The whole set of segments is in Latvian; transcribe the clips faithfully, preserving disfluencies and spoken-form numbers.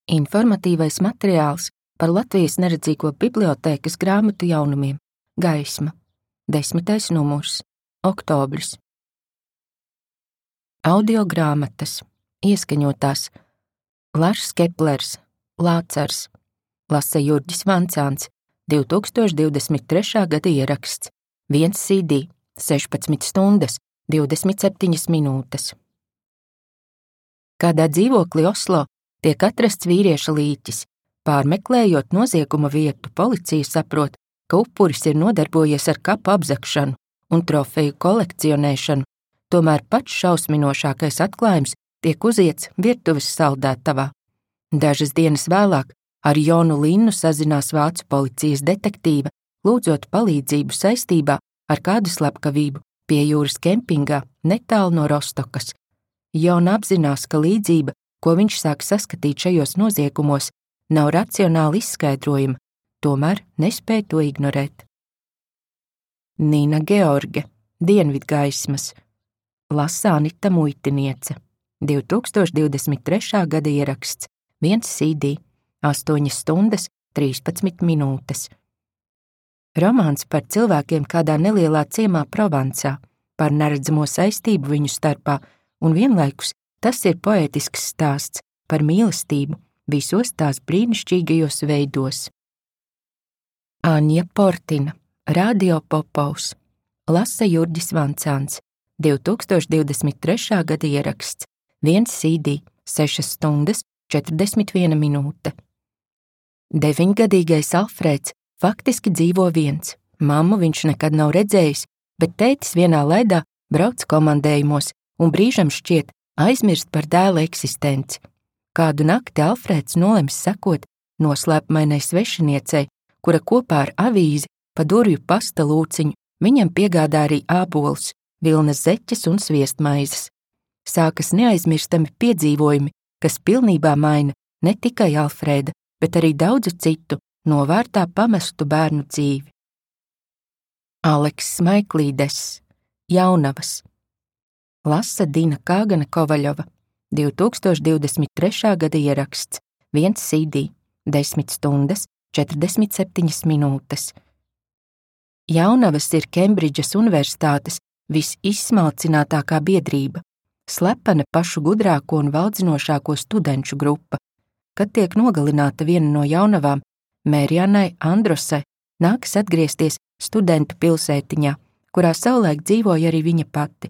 Informatīvais materiāls par Latvijas neredzīgo bibliotēkas grāmatu jaunumiem. Gaisma. Desmitais numurs. Oktobris. Audio grāmatas. Ieskaņotās. Lars Keplers. Lācars. Lasa Jurģis Vancāns. divtūkstoš divdesmit trešā gada ieraksts. Viens C D. sešpadsmit stundas. divdesmit septiņas minūtes. Kādā dzīvoklī Oslo tiek atrasts vīrieša līķis. Pārmeklējot nozieguma vietu, policija saprot, ka upuris ir nodarbojies ar kapu apzagšanu un trofeju kolekcionēšanu, tomēr pats šausminošākais atklājums tiek uziets virtuves saldētavā. Dažas dienas vēlāk ar Jonu Linnu sazinās vācu policijas detektīva, lūdzot palīdzību saistībā ar kādu slepkavību pie jūras kempingā netālu no Rostokas. Jona apzinās, ka līdzība, ko viņš sāk saskatīt šajos noziegumos, nav racionāli izskaidrojama, tomēr nespēja to ignorēt. Nina George. Dienvidgaismas. Lasa Anita Muitiniece. divtūkstoš divdesmit trešā gada ieraksts. Viens C D. astoņas stundas, trīspadsmit minūtes. Romāns par cilvēkiem kādā nelielā ciemā Provansā, par neredzamo saistību viņu starpā, un vienlaikus tas ir poētisks stāsts par mīlestību visos tās brīnišķīgajos veidos. Aņa Portina. Radio Popovs. Lasa Jurģis Vancāns. divtūkstoš divdesmit trešā gada ieraksts. Viens C D. sešas stundas, četrdesmit viena minūte. Deviņgadīgais Alfrēds faktiski dzīvo viens. Mammu viņš nekad nav redzējis, bet tētis vienā laidā brauc komandējumos un brīžam šķiet aizmirst par dēla eksistenci. Kādu nakti Alfrēds nolems sekot noslēpmainai svešiniecei, kura kopā ar avīzi pa durvju pasta lūciņu viņam piegādā arī ābolus, vilnas zeķes un sviestmaizes. Sākas neaizmirstami piedzīvojumi, kas pilnībā maina ne tikai Alfrēda, bet arī daudzu citu novārtā pamestu bērnu dzīvi. Aleks Smaiklīdes. Jaunavas. Lasa Dina Kāgana Kovaļova. divtūkstoš divdesmit trešā gada ieraksts. Viens C D. desmit stundas, četrdesmit septiņas minūtes. Jaunavas ir Kembridžas universitātes visizsmalcinātākā biedrība, slepena pašu gudrāko un valdzinošāko studenču grupa. Kad tiek nogalināta viena no jaunavām, Mērjanai Androsai nākas atgriezties studentu pilsētiņā, kurā savulaik dzīvoja arī viņa pati.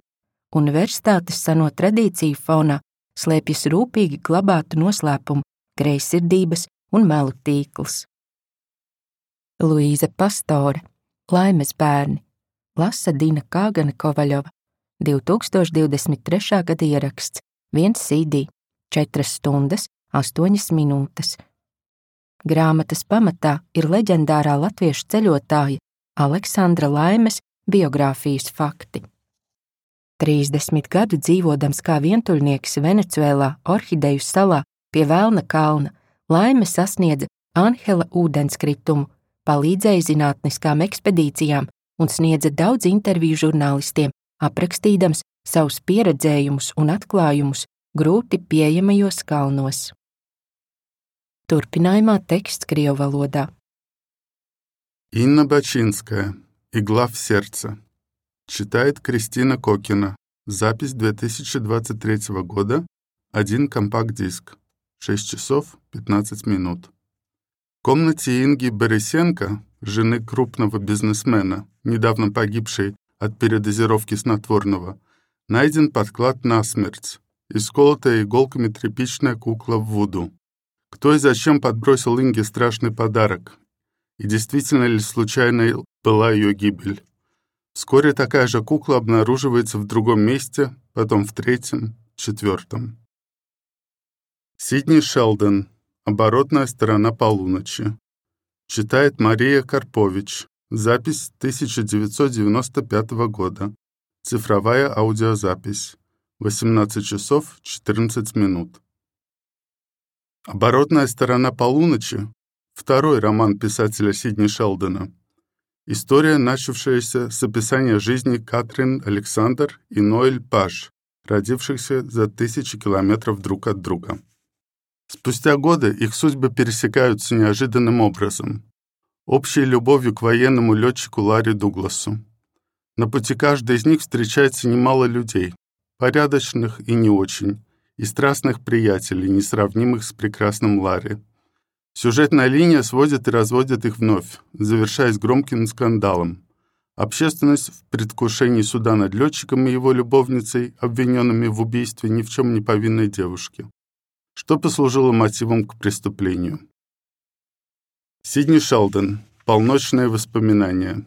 Universitātes seno tradīciju fonā slēpjas rūpīgi glabātu noslēpumu, greizsirdības un melu tīkls. Luīza Pastore. Laimes bērni. Lasa Dina Kāgana Kovaļova. divtūkstoš divdesmit trešā gada ieraksts. Viens C D. četras stundas, astoņas minūtes. Grāmatas pamatā ir leģendārā latviešu ceļotāja Aleksandra Laimes biogrāfijas fakti. trīsdesmit gadu dzīvodams kā vientuļnieks Venecuēlā Orhideju salā pie Velna kalna, Laime sasniedza Anhela ūdenskritumu, palīdzēja zinātniskām ekspedīcijām un sniedza daudz interviju žurnālistiem, aprakstīdams savus pieredzējumus un atklājumus grūti pieejamajos kalnos. Turpinājumā teksts krievu valodā. Инна Бачинская. Игла в сердце. Читает Кристина Кокина. Запись две тысячи двадцать третьего года. Один компакт-диск. шесть часов пятнадцать минут. В комнате Инги Борисенко, жены крупного бизнесмена, недавно погибшей от передозировки снотворного, найден подклад насмерть, исколотая иголками тряпичная кукла в вуду. Кто и зачем подбросил Инге страшный подарок? И действительно ли случайной была ее гибель? Вскоре такая же кукла обнаруживается в другом месте, потом в третьем, четвертом. Сидни Шелдон. Оборотная сторона полуночи. Читает Мария Карпович. Запись тысяча девятьсот девяносто пятого года. Цифровая аудиозапись. восемнадцать часов четырнадцать минут. «Оборотная сторона полуночи» — второй роман писателя Сидни Шелдона. История, начавшаяся с описания жизни Катрин Александр и Ноэль Паш, родившихся за тысячи километров друг от друга. С Спустя годы их судьбы пересекаются неожиданным образом. Общей любовью к военному летчику Ларри Дугласу. На пути каждой из них встречается немало людей, порядочных и не очень, и страстных приятелей, несравнимых с прекрасным Ларри. Сюжетная линия сводит и разводит их вновь, завершаясь громким скандалом. Общественность в предвкушении суда над летчиком и его любовницей, обвиненными в убийстве ни в чем не повинной девушки, что послужило мотивом к преступлению. Сидни Шелдон. Полночные воспоминания.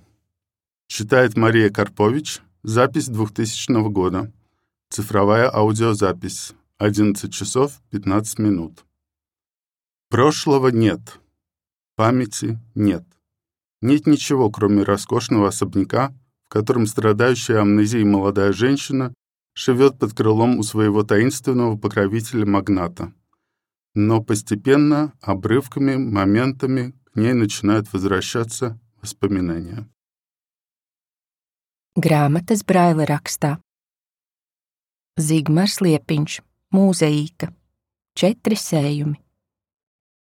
Читает Мария Карпович. Запись двухтысячного года. Цифровая аудиозапись. одиннадцать часов пятнадцать минут. Прошлого нет. Памяти нет. Нет ничего, кроме роскошного особняка, в котором страдающая амнезией молодая женщина живет под крылом у своего таинственного покровителя-магната. Но постепенно, обрывками, моментами к ней начинают возвращаться воспоминания. Grāmatas Braila rakstā. Zigmars Liepiņš, mūzeīka. Četri sējumi.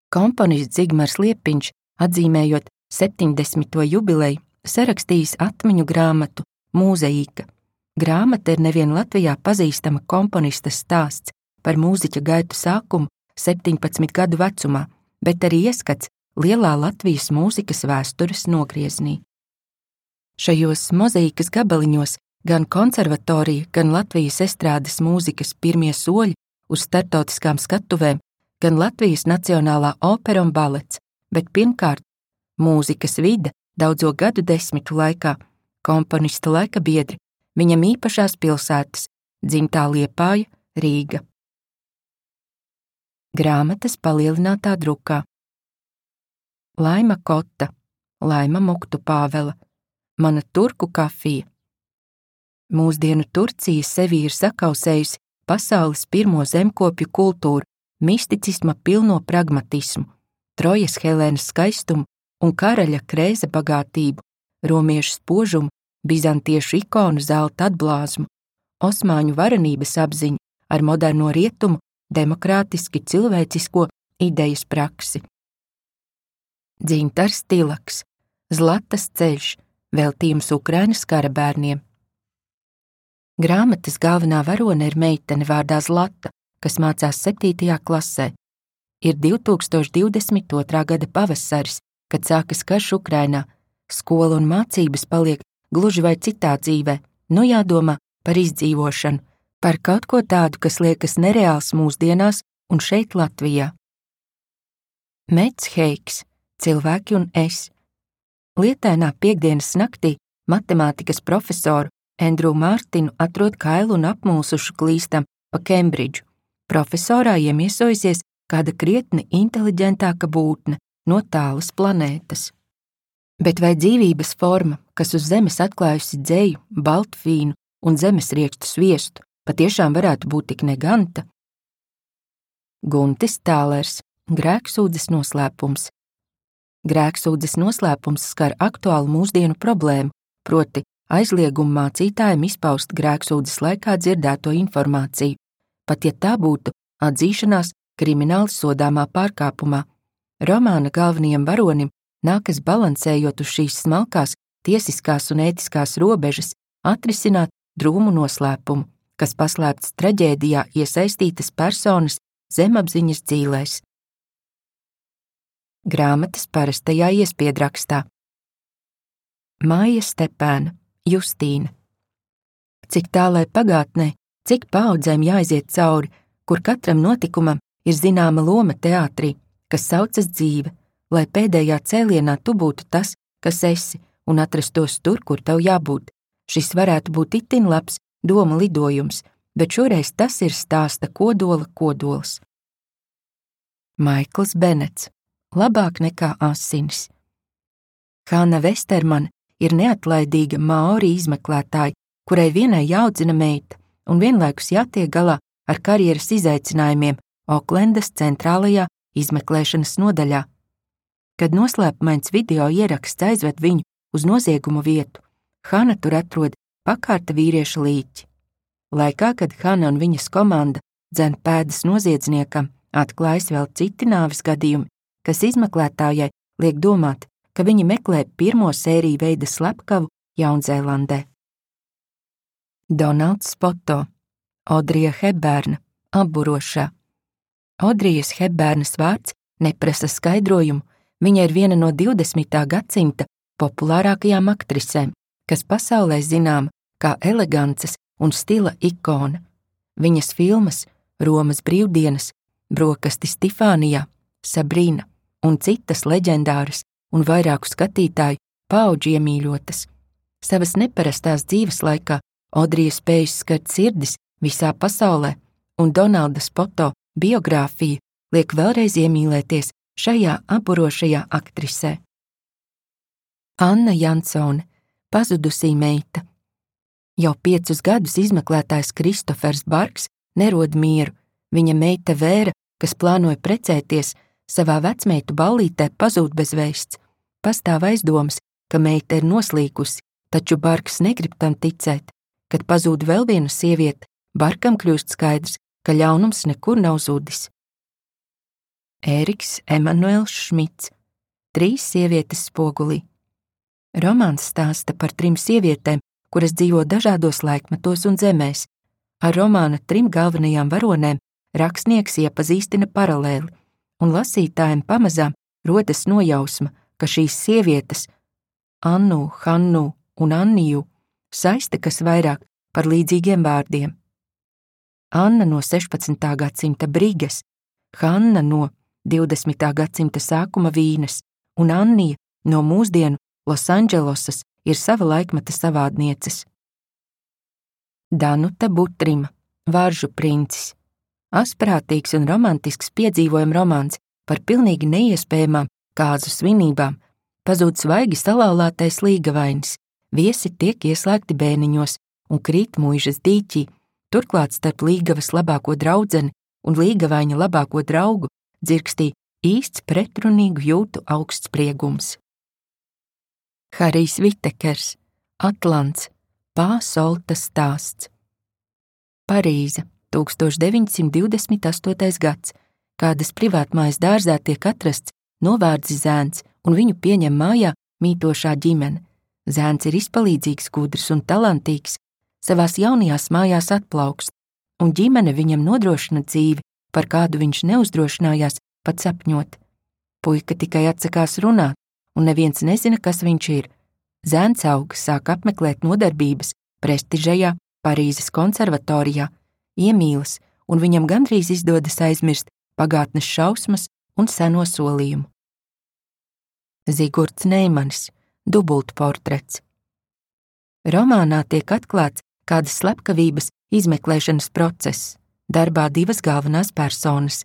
Komponists Zigmars Liepiņš, atzīmējot septiņdesmito jubileju, sarakstījis atmiņu grāmatu Mūzeīka. Grāmata ir nevien Latvijā pazīstama komponista stāsts par mūziķa gaitu sākumu septiņpadsmit gadu vecumā, bet arī ieskats lielā Latvijas mūzikas vēstures nogrieznī. Šajos mozaīkas gabaliņos gan konservatorija, gan Latvijas estrādes mūzikas pirmie soļi uz startautiskām skatuvēm, gan Latvijas Nacionālā opera un balets, bet pirmkārt mūzikas vide daudzo gadu desmitu laikā, komponista laika biedri, viņam īpašās pilsētas, dzimtā Liepāja, Rīga. Grāmatas palielinātā drukā. Laima Kota, Laima Muktu Pāvela, Mana turku kafija. Mūsdienu Turcija sevī ir sakausējusi pasaules pirmo zemkopju kultūru, misticisma pilno pragmatismu, Trojas Helēnas skaistumu un karaļa Krēza bagātību, romiešu spožumu, bizantiešu ikonu zelta atblāzmu, osmaņu varenības apziņu ar moderno rietumu, demokrātiski cilvēcisko idejas praksi. Dzintars Tilaks, Zlatas ceļš, veltījums Ukrainas kara bērniem. Grāmatas galvenā varone ir meitene vārdā Zlata, kas mācās septītajā klasē. Ir divtūkstoš divdesmit otrā gada pavasaris, kad sākas karš Ukrainā, skola un mācības paliek gluži vai citā dzīvē, nu jādomā par izdzīvošanu, par kaut ko tādu, kas liekas nereāls mūsdienās un šeit Latvijā. Mets Heiks, Cilvēki un es. Lietainā piektdienas naktī matemātikas profesoru Endrū Mārtinu atrod kailu un apmulsušu klīstam pa Kembridžu. Profesorā iemiesojusies kāda krietni inteliģentāka būtne no tālas planētas. Bet vai dzīvības forma, kas uz zemes atklājusi dzeju, baltvīnu un zemesriekstu sviestu, patiešām varētu būt tik neganta? Guntis Tālers, Grēksūdzes noslēpums. Grēksūdzes noslēpums skar aktuālu mūsdienu problēmu, proti aizliegumu mācītājiem izpaust grēksūdzes laikā dzirdēto informāciju, pat ja tā būtu atzīšanās krimināli sodāmā pārkāpumā. Romāna galvenajam varonim nākas balansējot uz šīs smalkās, tiesiskās un ētiskās robežas atrisināt drūmu noslēpumu, kas paslēpts traģēdijā iesaistītas personas zemapziņas dzīlēs. Grāmatas parastajā iespiedrakstā. Maija Stepēna, Justīna. Cik tālai pagātnē, cik paaudzēm jāiziet cauri, kur katram notikumam ir zināma loma teātrī, kas saucas dzīve, lai pēdējā cēlienā tu būtu tas, kas esi, un atrastos tur, kur tev jābūt. Šis varētu būt itin labs doma lidojums, bet šoreiz tas ir stāsta kodola kodols. Maikls Benets. Labāk nekā asinis. Hanna Vestermana ir neatlaidīga maori izmeklētāja, kurai vienai jāaudzina meita un vienlaikus jātiek galā ar karjeras izaicinājumiem Oklendas centrālajā izmeklēšanas nodaļā. Kad noslēpumains video ieraksts aizved viņu uz noziegumu vietu, Hanna tur atrod pakārta vīrieša līķi. Laikā, kad Hanna un viņas komanda dzen pēdas noziedzniekam, Atklājas vēl citi nāves gadījumi, kas izmeklētājai liek domāt, ka viņi meklē pirmo sēriju veida slepkavu Jaunzēlandē. Donalds Spoto, Odrija Hepbērna, apburošā. Odrijas Hepbērnas vārds neprasa skaidrojumu, viņa ir viena no divdesmitā gadsimta populārākajām aktrisēm, kas pasaulē zināma kā elegances un stila ikona. Viņas filmas Romas brīvdienas, Brokastis Tifānijā, Sabrīna un citas leģendāras un vairāku skatītāju paudžu iemīļotas. Savas neparastās dzīves laikā Odrija spējas skart sirdis visā pasaulē, un Donalda Spoto biogrāfija liek vēlreiz iemīlēties šajā apburošajā aktrisē. Anna Jansone, pazudusī meita. Jau piecus gadus izmeklētājs Kristofers Barks nerod mieru. Viņa meita Vēra, kas plānoja precēties, savā vecmeitu ballītē pazūd bez vēsts. Pastāv aizdomas, ka meita ir noslīkusi, taču Barks negrib tam ticēt. Kad pazūd vēl viena sieviete, Barkam kļūst skaidrs, ka ļaunums nekur nav zudis. Ēriks Emanuels Šmits, Trīs sievietes spogulī. Romāns stāsta par trim sievietēm, kuras dzīvo dažādos laikmetos un zemēs. Ar romāna trim galvenajām varonēm rakstnieks iepazīstina paralēli, un lasītājiem pamazām rodas nojausma, ka šīs sievietes, Annu, Hannu un Anniju, saista kas vairāk par līdzīgiem vārdiem. Anna no sešpadsmitā gadsimta Brigas, Hanna no divdesmitā gadsimta sākuma Vīnes un Annija no mūsdienu Losandželosas ir sava laikmeta savādnieces. Danuta Butrima, Varžu princis. Asprātīgs un romantisks piedzīvojuma romāns par pilnīgi neiespējamām kāzu svinībām. Pazūd svaigi salauztais līgavainis, viesi tiek ieslēgti bēniņos un krīt muižas dīķī, turklāt starp līgavas labāko draudzeni un līgavaņa labāko draugu dzirkstī īsts pretrunīgu jūtu augstspriegums. Harijs Vitekers, Atlants, Pāsolta stāsts. Parīze, tūkstoš deviņsimt divdesmit astotais gads, kādas privātmājas dārzā tiek atrasts novārdzi zēns un viņu pieņem mājā mītošā ģimene. Zēns ir izpalīdzīgs, gudrs un talantīgs, savās jaunajās mājās atplaukst, un ģimene viņam nodrošina dzīvi, par kādu viņš neuzdrošinājās pat sapņot. Puika tikai atsakās runāt, un neviens nezina, kas viņš ir. Zēns aug, sāk apmeklēt nodarbības prestižajā Parīzes konservatorijā, iemīlas, un viņam gandrīz izdodas aizmirst pagātnes šausmas un seno solījumu. Zigurds Neimanis, dubultportrets. Romānā tiek atklāts kādas slepkavības izmeklēšanas process, darbā divas galvenās personas.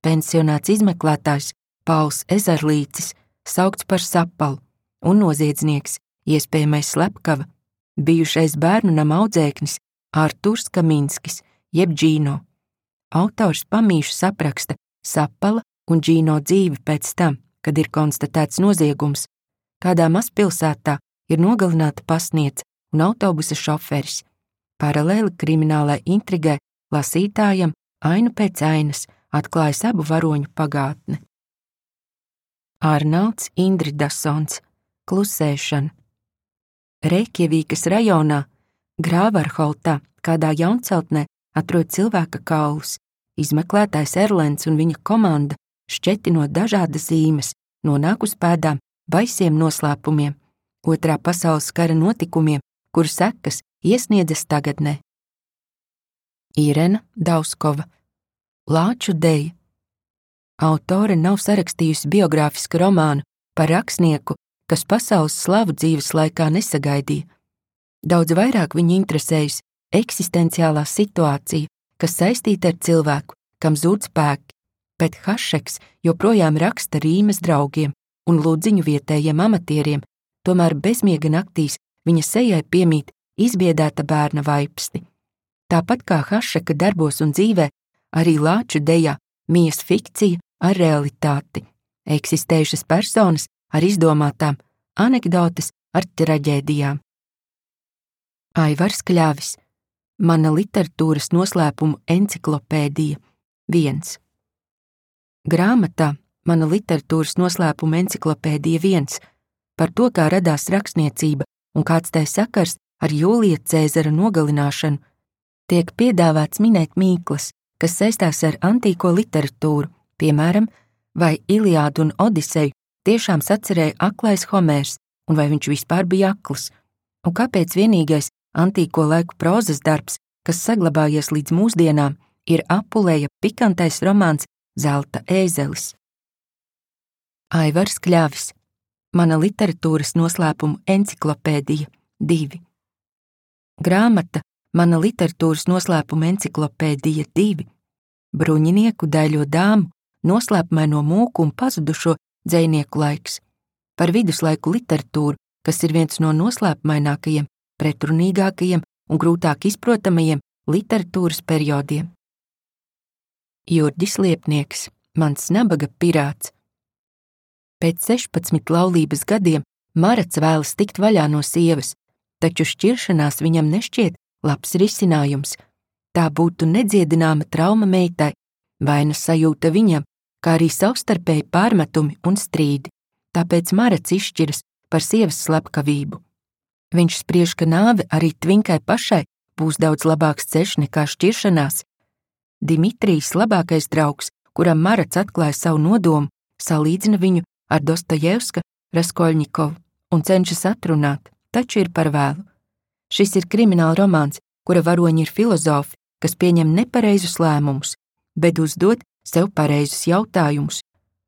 Pensionāts izmeklētājs Pauls Ezerlīcis, saukts par Sapalu, un noziedznieks, iespējamais slepkava, bijušais bērnu nama audzēknis Arturs Kaminskis, jeb Džīno. Autors pamīšu sapraksta Sapala un Džīno dzīvi pēc tam, kad ir konstatēts noziegums. Kādā mazpilsētā ir nogalināta pasniedze un autobusa šoferis. Paralēli kriminālai intrigai lasītājam ainu pēc ainas atklājas abu varoņu pagātne. Arnalds Indridasons, Klusēšana. Reikjavīkas rajonā, Grāvarholtā, kādā jaunceltnē atrod cilvēka kaulus. Izmeklētājs Erlends un viņa komanda, šķetinot dažādas zīmes, nonāk uz pēdām baisiem noslēpumiem, otrā pasaules kara notikumiem, kuru sekas iesniedzas tagadnē. Irena Dauskova, Lāču deja. Autore nav sarakstījusi biogrāfisku romānu par rakstnieku, kas pasaules slavu dzīves laikā nesagaidīja. Daudz vairāk viņu interesējas eksistenciālā situācija, kas saistīta ar cilvēku, kam zūd spēki, bet Hašeks joprojām raksta rīmes draugiem un lūdziņu vietējiem amatieriem, tomēr bezmiega naktīs viņa sejai piemīt izbiedēta bērna vaipsti. Tāpat kā Hašeka darbos un dzīvē, arī Lāču dejā mijas fikcija ar realitāti, eksistējušas personas ar izdomātām, anekdotes ar traģēdijām. Aivars Kļavis, Mana literatūras noslēpumu enciklopēdija, viens. Grāmatā Mana literatūras noslēpuma enciklopēdija viens par to, kā radās rakstniecība un kāds tai sakars ar Jūlija Cēzara nogalināšanu, tiek piedāvāts minēt mīklas, kas saistās ar antīko literatūru, piemēram, vai Iliādu un Odiseju tiešām sacerēja aklais Homērs, un vai viņš vispār bija akls, un kāpēc vienīgais antīko laiku prozas darbs, kas saglabājies līdz mūsdienām, ir Apuleja pikantais romāns Zelta ēzelis. Aivars Kļavis. Mana literatūras noslēpuma enciklopēdija divi. Grāmata Mana literatūras noslēpuma enciklopēdija divi. Bruņinieku daļo dāmu, noslēpumaino mūku un pazudušo dzejnieku laiks. Par viduslaiku literatūru, kas ir viens no noslēpumainākajiem, pretrunīgākajiem un grūtāk izprotamajiem literatūras periodiem. Jurģis Liepnieks. Mans nabaga pirāts. Pēc sešpadsmit laulības gadiem Marats vēlas tikt vaļā no sievas, taču šķiršanās viņam nešķiet labs risinājums. Tā būtu nedziedināma trauma meitai, vainas sajūta viņam, kā arī savstarpēji pārmetumi un strīdi, tāpēc Marats izšķiras par sievas slepkavību. Viņš spriež, ka nāve arī Tvinkai pašai būs daudz labāks ceļš nekā šķiršanās. Dimitrijs, labākais draugs, kuram Marats atklāja savu nodomu, salīdzina viņu ar Dostojevska Raskolņikovu un cenšas atrunāt, taču ir par vēlu. Šis ir krimināla romāns, kura varoņi ir filozofi, kas pieņem nepareizus lēmumus, bet uzdod sev pareizus jautājumus.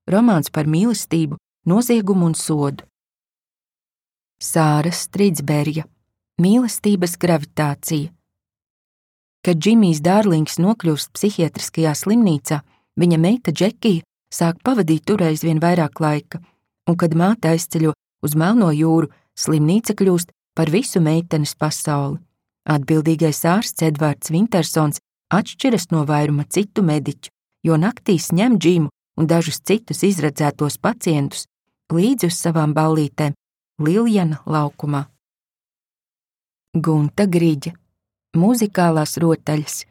Romāns par mīlestību, noziegumu un sodu. Sāra Stridsberja. Mīlestības gravitācija. Kad Džimijs Dārlings nokļūst psihiatriskajā slimnīcā, viņa meita Džekija sāk pavadīt tur aizvien vairāk laika, un kad māte aizceļo uz Melno jūru, slimnīca kļūst par visu meitenes pasauli. Atbildīgais ārsts Edvards Vintersons atšķiras no vairuma citu mediķu, jo naktīs ņem Džimu un dažus citus izredzētos pacientus līdzi uz savām ballītēm Liljana laukumā. Gunta Griģa. Muzikālās rotaļas.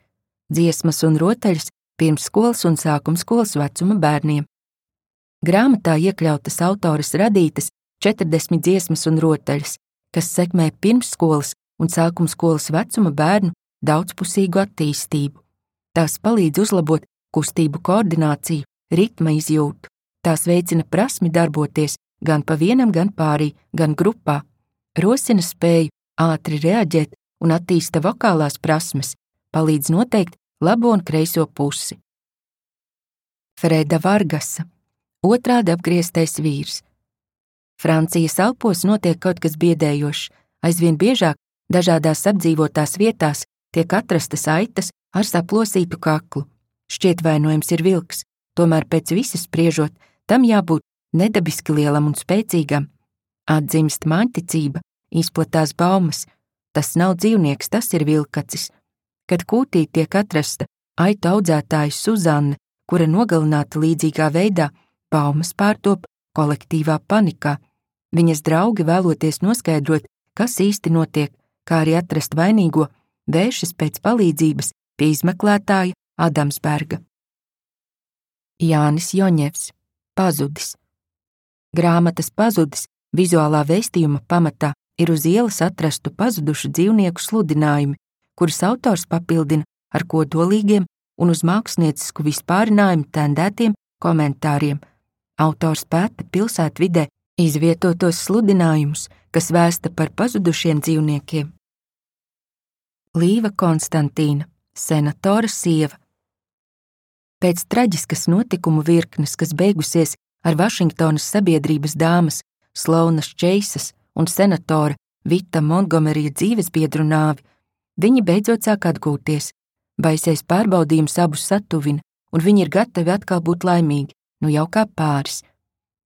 Dziesmas un rotaļas pirmsskolas un sākumskolas vecuma bērniem. Grāmatā iekļautas autores radītas četrdesmit dziesmas un rotaļas, kas sekmē pirmsskolas un sākumskolas vecuma bērnu daudzpusīgu attīstību. Tās palīdz uzlabot kustību koordināciju, ritma izjūtu. Tās veicina prasmi darboties gan pa vienam, gan pārī, gan grupā, rosina spēju ātri reaģēt un attīsta vokālās prasmes, palīdz noteikt labo un kreiso pusi. Freda Vargasa. Otrādi apgrieztais vīrs. Francijas Alpos notiek kaut kas biedējošs. Aizvien biežāk dažādās apdzīvotās vietās tiek atrastas aitas ar saplosītu kaklu. Šķiet vainojums ir vilks, tomēr pēc visas spriežot, tam jābūt nedabiski lielam un spēcīgam. Atdzimst māņticība, izplatās baumas. Tas nav dzīvnieks, tas ir vilkacis. Kad kūtī tiek atrasta aitu audzētāja Suzanne, kura nogalināta līdzīgā veidā, baumas pārtop kolektīvā panikā. Viņas draugi, vēloties noskaidrot, kas īsti notiek, kā arī atrast vainīgo, vēršas pēc palīdzības pie izmeklētāja Adamsberga. Jānis Joņevs. Pazudis. Grāmatas Pazudis vizuālā vēstījuma pamatā ir uz ielas atrastu pazudušu dzīvnieku sludinājumi, kurus autors papildina ar kodolīgiem un uz māksliniecisku vispārinājumu tendētiem komentāriem. Autors pēta pilsētvidē izvietotos sludinājumus, kas vēsta par pazudušiem dzīvniekiem. Līva Konstantīna, senatora sieva. Pēc traģiskas notikumu virknes, kas beigusies ar Vašingtonas sabiedrības dāmas Sloanas Čeisas un senatora Vita Montgomerija dzīvesbiedru nāvi, viņi beidzot sāk atgūties. Baisais pārbaudījums abus satuvina, un viņi ir gatavi atkal būt laimīgi, nu jau kā pāris.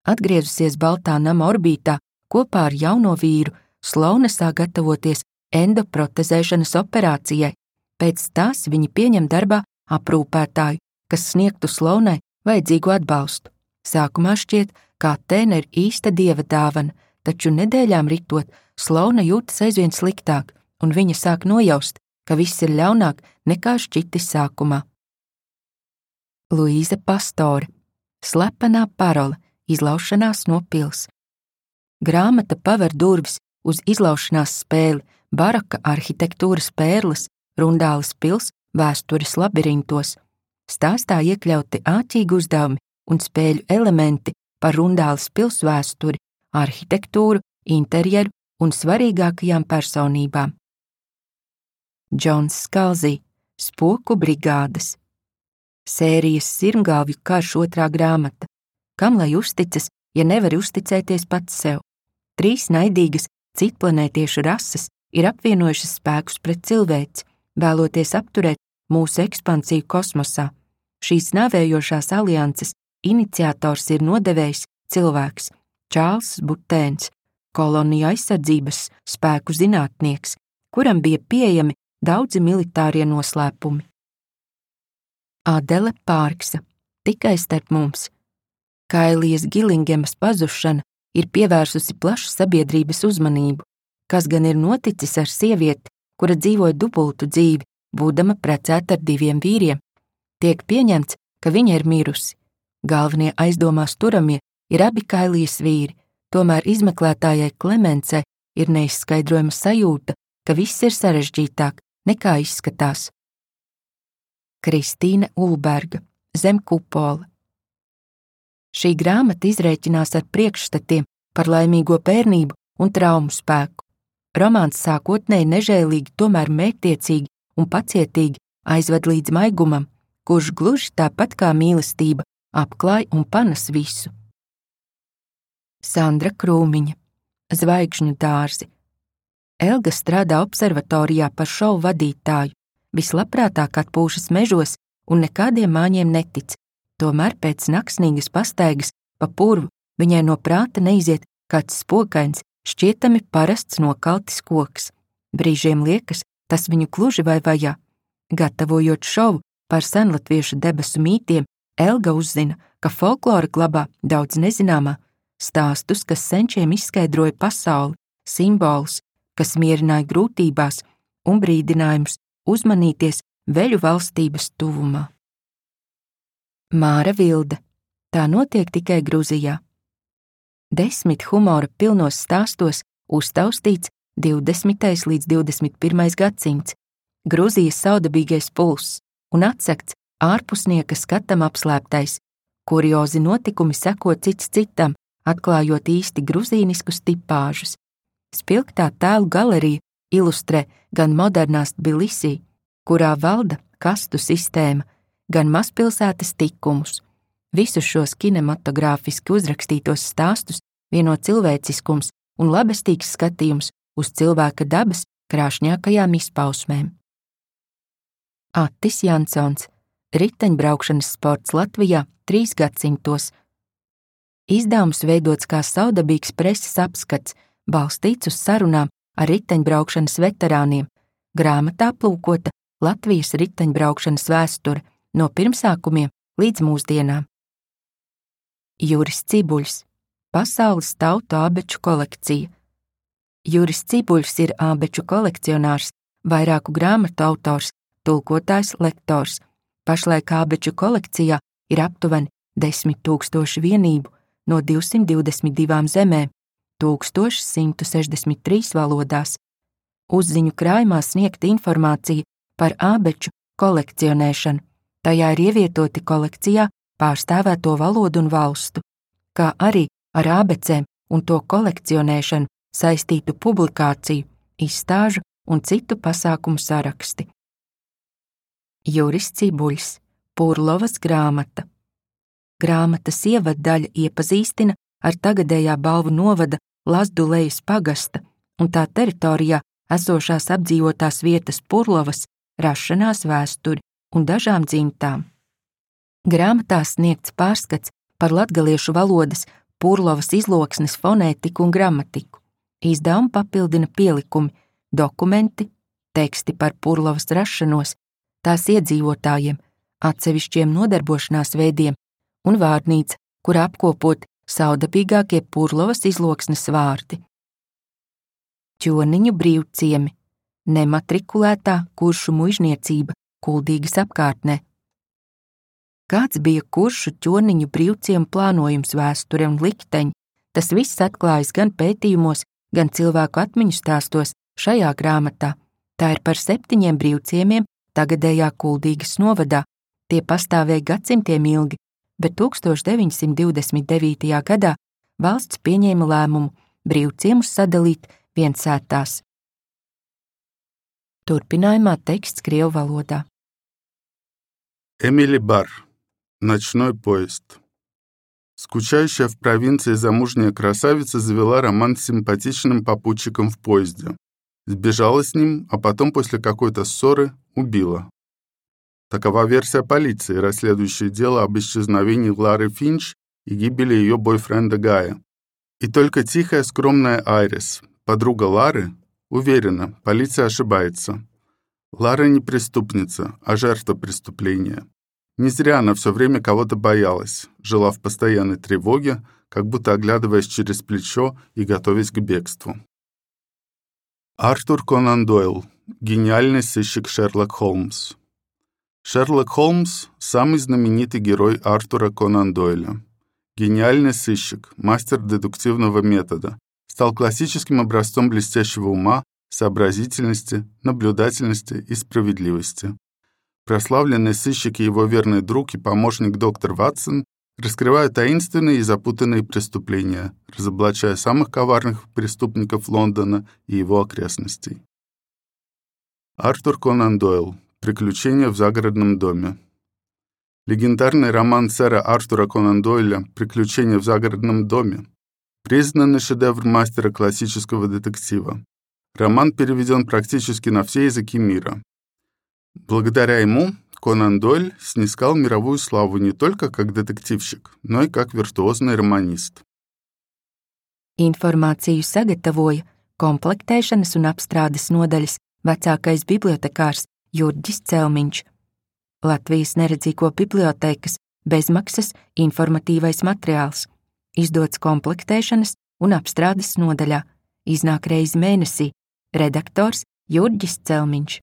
Atgriezusies Baltā nama orbītā kopā ar jauno vīru, Sloana sāk gatavoties endoprotezēšanas operācijai. Pēc tās viņi pieņem darbā aprūpētāju, kas sniegtu Sloanai vajadzīgu atbalstu. Sākumā šķiet, kā Atēna ir īsta dieva dāvana, taču nedēļām ritot, Sloana jūtas aizvien sliktāk, un viņa sāk nojaust, ka viss ir ļaunāk nekā šķitis sākumā. Luīza Pastore. Slepenā parole – izlaušanās no pils. Grāmata paver durvis uz izlaušanās spēli baroka arhitektūras pērles, Rundāles pils vēstures labirintos. Stāstā iekļauti āķīgi uzdevumi un spēļu elementi par Rundāles pils vēsturi, arhitektūru, interjeru un svarīgākajām personībām. Džons Skalzī, Spoku brigādes. Sērijas Sirmgalvju karš otrā grāmata. Kam lai uzticas, ja nevari uzticēties pats sev? Trīs naidīgas citplanētiešu rases ir apvienojušas spēkus pret cilvēci, vēloties apturēt mūsu ekspansiju kosmosā. Šīs nāvējošās alianses iniciators ir nodevējs cilvēks Čārls Butēns, koloniju aizsardzības spēku zinātnieks, kuram bija pieejami daudzi militārie noslēpumi. Adele Pārksa, tikai starp mums. Kailijas Gilingemas pazušana ir pievērsusi plašu sabiedrības uzmanību, kas gan ir noticis ar sievieti, kura dzīvoja dubultu dzīvi, būdama precēta ar diviem vīriem. Tiek pieņemts, ka viņa ir mirusi. Galvenie aizdomās turamie ir abi Kailijas vīri, tomēr izmeklētājai Klemencei ir neizskaidrojama sajūta, ka viss ir sarežģītāk nekā izskatās. Kristīne Ulberga, Zem kupola. Šī grāmata izrēķinās ar priekšstatiem par laimīgo bērnību un traumu spēku. Romāns sākotnēji nežēlīgi, tomēr mērķtiecīgi un pacietīgi aizved līdz maigumam, kurš gluži tāpat kā mīlestība apklāj un panes visu. Sandra Krūmiņa, Zvaigžņu dārzi. Elga strādā observatorijā par šovu vadītāju, vislabprātāk atpūšas mežos un nekādiem māņiem netic, tomēr pēc naksnīgas pastaigas pa purvu viņai no prāta neiziet kāds spokains, šķietami parasts nokaltis koks. Brīžiem liekas, tas viņu kluži vai vajā. Gatavojot šovu par senlatviešu debesu mītiem, Elga uzzina, ka folklora glabā daudz nezināmā, stāstus, kas senčiem izskaidroja pasauli, simbolus, kas mierināja grūtībās un brīdinājumus uzmanīties veļu valstības tuvumā. Māra Vilde. Tā notiek tikai Gruzijā. Desmit humora pilnos stāstos uztaustīts divdesmitais līdz divdesmit pirmais gadsimts, Gruzijas saudabīgais pulss un atsekts ārpusnieka skatam apslēptais, kuriozi notikumi seko cits citam, atklājot īsti gruzīniskus tipāžus. Spilgtā tēlu galerija ilustrē gan modernās Tbilisī, kurā valda kastu sistēma, gan mazpilsētas tikumus. Visus šos kinematogrāfiski uzrakstītos stāstus vieno cilvēciskums un labestīgs skatījums uz cilvēka dabas krāšņākajām izpausmēm. Attis Jansons, Riteņbraukšanas sports Latvijā trīs gadsimtos. Izdevums veidots kā saudabīgs preses apskats, balstīts uz sarunām ar riteņbraukšanas veterāniem. Grāmatā aplūkota Latvijas riteņbraukšanas vēsture no pirmsākumiem līdz mūsdienām. Juris Cibuļs, Pasaules tautu ābeču kolekcija. Juris Cibuļs ir ābeču kolekcionārs, vairāku grāmatu autors, tulkotājs, lektors. Pašlaik ābeču kolekcijā ir aptuveni desmit tūkstoši vienību no divsimt divdesmit divām zemēm, tūkstoš simt sešdesmit trīs valodās. Uzziņu krājumā sniegta informācija par ābeču kolekcionēšanu. Tajā ir ievietoti kolekcijā pārstāvēto valodu un valstu, kā arī ar ābecēm un to kolekcionēšanu saistītu publikāciju, izstāžu un citu pasākumu saraksti. Juris Cibuļs, Purlovas grāmata. Grāmatas ievaddaļa iepazīstina ar tagadējā Balvu novada Lazdulejas pagasta un tā teritorijā esošās apdzīvotās vietas Purlovas rašanās vēsturi un dažām dzimtām. Grāmatā sniegts pārskats par latgaliešu valodas Purlovas izloksnes fonētiku un gramatiku. Izdevumu papildina pielikumi, dokumenti, teksti par Purlovas rašanos, tās iedzīvotājiem, atsevišķiem nodarbošanās veidiem un vārnīca, kur apkopot saudabīgākie Purlovas izloksnes vārdi. Ķoniņu brīvciemi, nematrikulētā kuršu muižniecība Kuldīgas apkārtnē. Kāds bija kuršu ķorniņu brīvciemu plānojums, vēsture un likteņi, tas viss atklājas gan pētījumos, gan cilvēku atmiņu stāstos šajā grāmatā. Tā ir par septiņiem brīvciemiem tagadējā Kuldīgas novadā. Tie pastāvēja gadsimtiem ilgi, bet tuksstoš deviņsimt divdesmit devītajā gadā valsts pieņēma lēmumu brīvciemus sadalīt viensētās. Turpinājumā teksts krievu valodā. Эмили Бар. Ночной поезд. Скучающая в провинции замужняя красавица завела роман с симпатичным попутчиком в поезде. Сбежала с ним, а потом после какой-то ссоры убила. Такова версия полиции, расследующей дело об исчезновении Лары Финч и гибели ее бойфренда Гая. И только тихая, скромная Айрис, подруга Лары, уверена, полиция ошибается. Лара не преступница, а жертва преступления. Не зря она все время кого-то боялась, жила в постоянной тревоге, как будто оглядываясь через плечо и готовясь к бегству. Артур Конан Дойл. Гениальный сыщик Шерлок Холмс. Шерлок Холмс – самый знаменитый герой Артура Конан Дойля. Гениальный сыщик, мастер дедуктивного метода, стал классическим образцом блестящего ума, сообразительности, наблюдательности и справедливости. Прославленный сыщик и его верный друг и помощник доктор Ватсон раскрывают таинственные и запутанные преступления, разоблачая самых коварных преступников Лондона и его окрестностей. Артур Конан Дойл. Приключения в загородном доме. Легендарный роман сэра Артура Конан Дойля «Приключения в загородном доме» признанный шедевр мастера классического детектива. Роман переведен практически на все языки мира. Благодаря ему Конан Дойль снискал мировую славу не только как детективщик, но и как виртуозный романист. Informāciju sagatavoja komplektēšanas un apstrādes nodaļas vecākais bibliotekārs Jurģis Celmiņš. Latvijas neredzīgo bibliotekas bezmaksas informatīvais materiāls, izdots komplektēšanas un apstrādes nodaļā, iznāk reizi mēnesī, redaktors Jurģis Celmiņš.